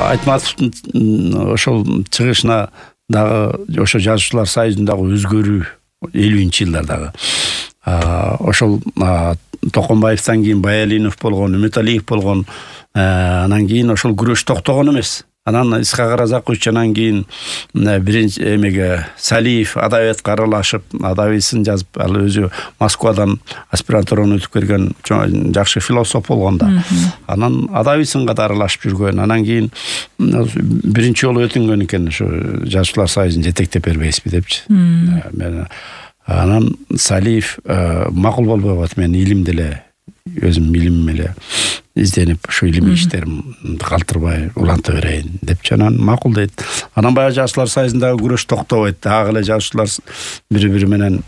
Айтматовдун ошол чыгышына дагы ошо жазуучулар союзундагы өзгөрүү 50-жылдардагы ошол Токомбаевден кийин Баялинов болгон, Үмүталиев болгон, анан кийин ошол күрөш токтогон эмес. Анан Исхак Оразакович анан кийин биринчи эмеге Салиев адабиятка аралашып, адабийсын жазып, ал өзү Москвадан аспирантураны өтүп келген жакшы философ болгон да. Анан адабийсынга да аралашып жүргөн. Анан кийин биринчи жолу өтүнгөн экен ошо жазуучулар союзун жетектеп бербейсизби депчи. Анан Салиев макул болбой калат, мен илимди эле өзүм илимим эле изденип ушу илимий иштеримди калтырбай уланта берейин депчи. Анан макул дейт. Анан баягы жазуучулар союзундагы күрөш токтобойт. Дагы эле жазуучулар бири-бири менен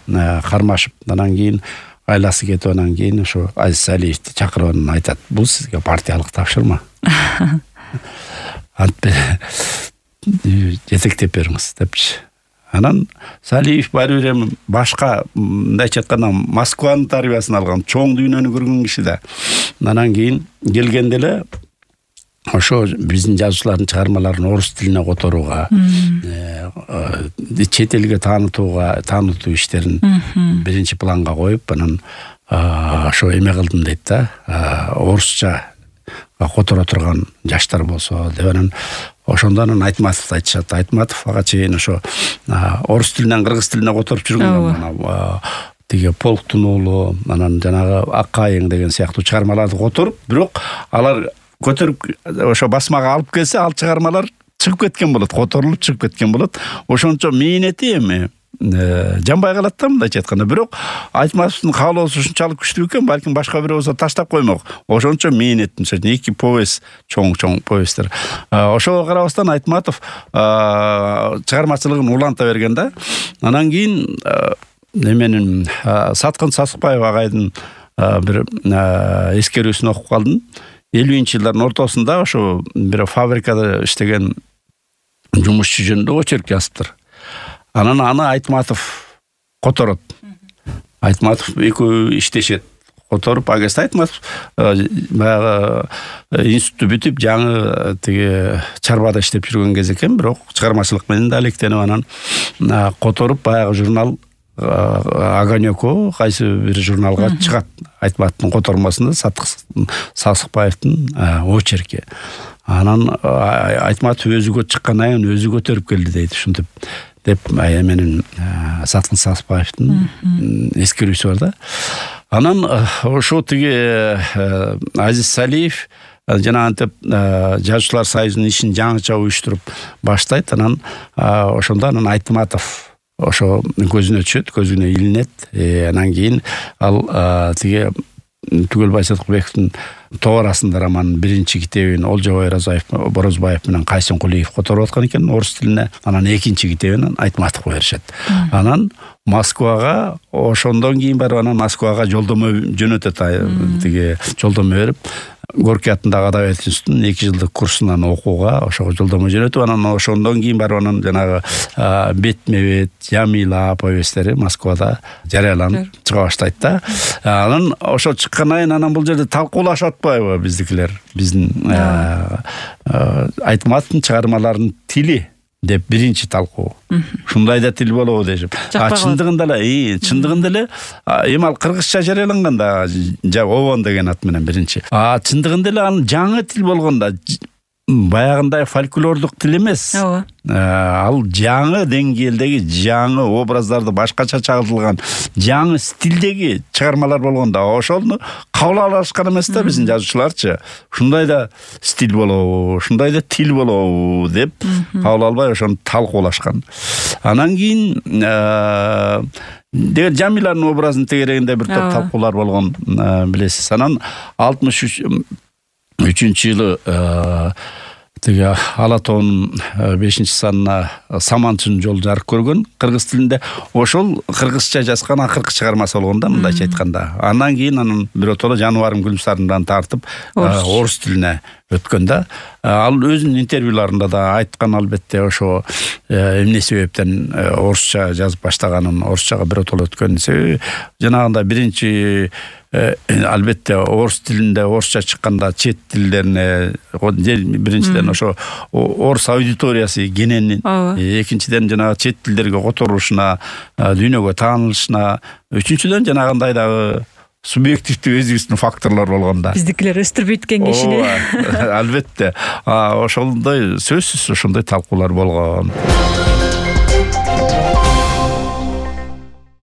кармашып, анан кийин айласы кетип, анан кийин ошо Азиз Салиевди чакырып анан айтат: "Бул сизге партиялык тапшырма. Антип жетектеп бериңиз" депчи. Анан Салиев баары бир эми башка, мындайча айтканда, Москванын тарбиясын алган, чоң дүйнөнү көргөн киши да. Анан кийин келгенде эле ошо биздин жазуучулардын чыгармаларын орус тилине которууга, чет элге таанытуу иштерин биринчи планга коюп, анан ошо эме кылдым дейт да, орусча которо турган жаштар болсо деп. Анан ошондо анан Айтматовду айтышат. Айтматов ага чейин ошо орус тилинен кыргыз тилине которуп жүргөн. Тиги Полктун уулу, анан жанагы Ак Кайың деген сыяктуу чыгармаларды которуп, бирок алар көтөрүп ошо басмага алып келсе, ал чыгармалар чыгып кеткен болот, которулуп чыгып кеткен болот. Ошончо мээнети эми жанбай калат да, мындайча айтканда. Бирок Айтматовдун каалоосу ушунчалык күчтүү экен, балким башка бирөө болсо таштап коймок. Ошончо мээнет, мисалы үчүн 2 повесть, чоң повесттер. Ошого карабастан Айтматов чыгармачылыгын уланта берген да. Анан кийин эменин Саткын Сасыкбаев агайдын бир эскерүүсүн окуп калдым. 50-жылдардын ортосунда ошо бир фабрикада иштеген жумушчу жөнүндө очерк жазыптыр. Анан аны Айтматов которот. Айтматов экөө иштешет. Которуп, агест Айтматов баягы институтты бүтүп, жаңы тиги чарбада иштеп жүргөн кез экен, бирок чыгармачылык менен да алектенип, анан которуп баягы журнал Огонёко кайсы бир журналга чыгат. Айтматовдун котормасында Саткын Сасыкбаевдин очерки. Анан Айтматов өзүгө чыккандан кийин өзү көтөрүп келди дейт, ушинтип деп менин Саткын Сасыкбаевдин эскерүүсү бар да. Анан ошо тиги Азиз Салиев жана антип жазуучулар союзунун ишин жаңыча уюштуруп баштайт. Анан ошондо анан Айтматов ошо көзүнө түшөт, көзүнө илинет. Анан кийин ал тиги Түгөлбай Сыдыкбековдун тоо арасында романын биринчи китебин Олжобай Борозбаев менен Кайсын Кулиев которуп аткан экен орус тилине. Анан экинчи китебин Айтматовго беришет. Анан Москвага, ошондон кийин барып анан Москвага жолдомо жөнөтөт. Тиги жолдомо берип, Горький атындагы адабият институтунун 2 жылдык курсунан окууга ошого жолдомо жөнөтүп, анан ошондон кийин барып анан жанагы Бетме-бет, Jamila повесттери Москвада жарыяланып чыга баштайт да. Анан ошо чыккандан кийин анан бул жерде талкуулашып атпайбы биздикилер? Биздин Айтматовдун чыгармаларынын тили деп биринчи талкуу. Ушундай да тил болобу дешип. Чындыгында эле эми ал кыргызча жарыяланган да, Обон деген ат менен биринчи. Чындыгында эле анын жаңы тил болгондо баягындай фольклордук тил эмес. Ал жаңы деңгээлдеги, жаңы образдарды башкача чагылтылган, жаңы стилдеги чыгармалар болгондо ошону кабыл алышкан эмес да биздин жазуучуларчы. Ушундай да стиль болобу, ушундай да тил болобу деп кабыл албай ошону талкуулашкан. Анан кийин деген Жамиланын образын тегерегинде бир топ талкуулар болгон, билесиз. Анан 63-жылы тиги Ала тоонун 5-санына Саманчынын жолу жарык көргөн кыргыз тилинде. Ошол кыргызча жазган акыркы чыгармасы болгон да, мындайча айтканда. Андан кийин анын биротоло Жаныбарым Гүлсарымдан тартып орус тилине өткөн да. Ал өзүнүн интервьюларында да айткан, албетте ошо эмне себептен орусча жазып баштаганын, орусчага биротоло өткөнүн себеби жанагындай биринчи албетте орус тилинде орусча чыкканда чет тилдерине биринчиден ошо орус аудиториясы кененин, экинчиден жанагы чет тилдерге которушуна, дүйнөгө таанылышына, үчүнчүдөн жанагындай дагы субъективдүү өзүбүздүн факторлор болгондо биздикилер өстүрбөйт экен кишини. Албетте ошондой сөзсүз ошондой талкуулар болгон.